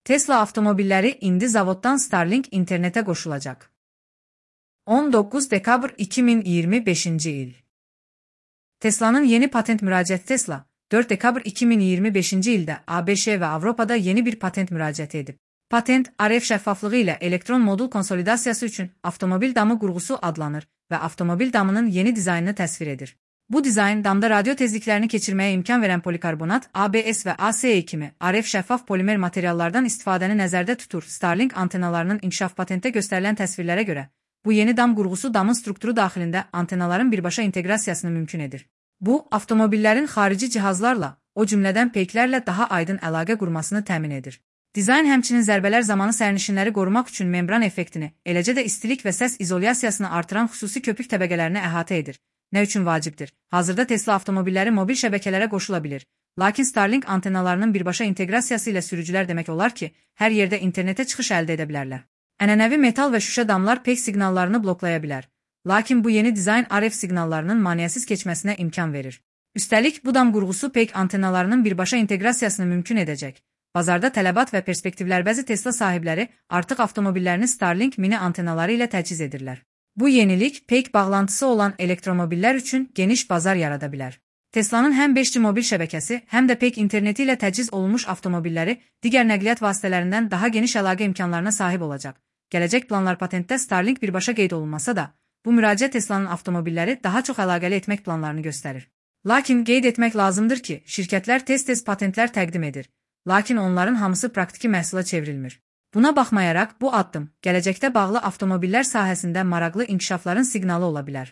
Tesla avtomobilləri indi zavoddan Starlink internetə qoşulacaq. 19 dekabr 2025-ci il. Tesla'nın yeni patent müraciəti Tesla, 4 dekabr 2025-ci ildə ABŞ və Avropada yeni bir patent müraciəti edib. Patent, RF şəffaflığı ilə elektron modul konsolidasiyası üçün avtomobil damı qurğusu adlanır və avtomobil damının yeni dizaynını təsvir edir. Bu dizayn, damda radio tezliklərini keçirməyə imkan verən polikarbonat, ABS və ACE kimi RF şəffaf polimer materiallardan istifadəni nəzərdə tutur. Starlink antenalarının inkişaf patentdə göstərilən təsvirlərə görə, bu yeni dam qurğusu damın strukturu daxilində antenaların birbaşa inteqrasiyasını mümkün edir. Bu, avtomobillərin xarici cihazlarla, o cümlədən peyklərlə daha aydın əlaqə qurmasını təmin edir. Dizayn həmçinin zərbələr zamanı sərnişinləri qorumaq üçün membran effektini, eləcə də istilik və səs izolyasiyasını artıran xüsusi köpük təbəqələrini əhatə edir. Nə üçün vacibdir? Hazırda Tesla avtomobilləri mobil şəbəkələrə qoşula bilir. Lakin Starlink antenalarının birbaşa inteqrasiyası ilə sürücülər demək olar ki, hər yerdə internetə çıxış əldə edə bilərlər. Ənənəvi metal və şüşə damlar peyk siqnallarını bloklaya bilər. Lakin bu yeni dizayn RF siqnallarının maneəsiz keçməsinə imkan verir. Üstəlik, bu dam qurğusu peyk antenalarının birbaşa inteqrasiyasını mümkün edəcək. Bazarda tələbat və perspektivlər bəzi Tesla sahibləri artıq avtomobillərini Starlink mini antenaları ilə təchiz edirlər. Bu yenilik, peyk bağlantısı olan elektromobillər üçün geniş bazar yarada bilər. Tesla'nın həm 5G mobil şəbəkəsi, həm də peyk interneti ilə təchiz olunmuş avtomobilləri digər nəqliyyat vasitələrindən daha geniş əlaqə imkanlarına sahib olacaq. Gələcək planlar patentdə Starlink birbaşa qeyd olunmasa da, bu müraciət Tesla'nın avtomobilləri daha çox əlaqəli etmək planlarını göstərir. Lakin qeyd etmək lazımdır ki, şirkətlər tez-tez patentlər təqdim edir. Lakin onların hamısı praktiki məhsula çevrilmir. Buna baxmayaraq, bu addım gələcəkdə bağlı avtomobillər sahəsində maraqlı inkişafların siqnalı ola bilər.